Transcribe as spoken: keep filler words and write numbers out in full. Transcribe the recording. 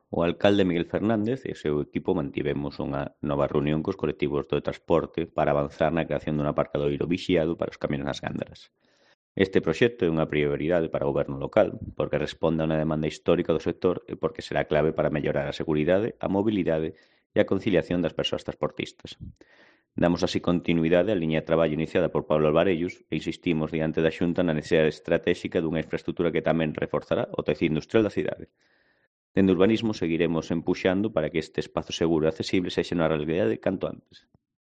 O alcalde Miguel Fernández e o seu equipo mantivemos unha nova reunión cos colectivos do transporte para avanzar na creación dun aparcadoiro vixiado para os camións nas Gándaras. Este proxecto é unha prioridade para o goberno local, porque responde a unha demanda histórica do sector e porque será clave para mellorar a seguridade, a mobilidade e a conciliación das persoas transportistas. Damos así continuidade á liña de traballo iniciada por Pablo Alvarellos e insistimos diante da Xunta na necesidade estratéxica dunha infraestrutura que tamén reforzará o tecido industrial da cidade. Dende Urbanismo seguiremos empuxando para que este espazo seguro e accesible sexa unha realidade canto antes.